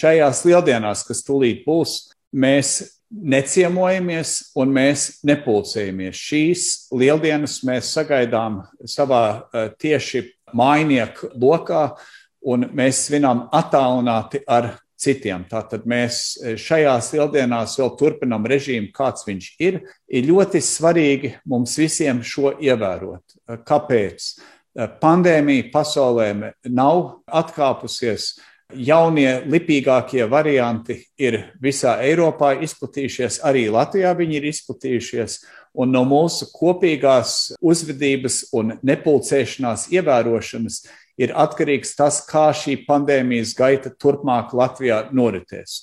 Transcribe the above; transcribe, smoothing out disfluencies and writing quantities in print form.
šajās lieldienās, kas tūlīt būs, mēs neciemojamies un mēs nepulcējamies. Šīs lieldienas mēs sagaidām savā tieši mājinieku lokā, un mēs svinām attālināti ar citiem. Tātad mēs šajās lieldienās vēl turpinām režīmu, kāds viņš ir. Ir ļoti svarīgi mums visiem šo ievērot. Kāpēc? Pandēmija pasaulē nav atkāpusies. Jaunie, lipīgākie varianti ir visā Eiropā izplatījušies, arī Latvijā viņi ir izplatījušies, un no mūsu kopīgās uzvedības un nepulcēšanās ievērošanas ir atkarīgs tas, kā šī pandēmijas gaita turpmāk Latvijā noritēs.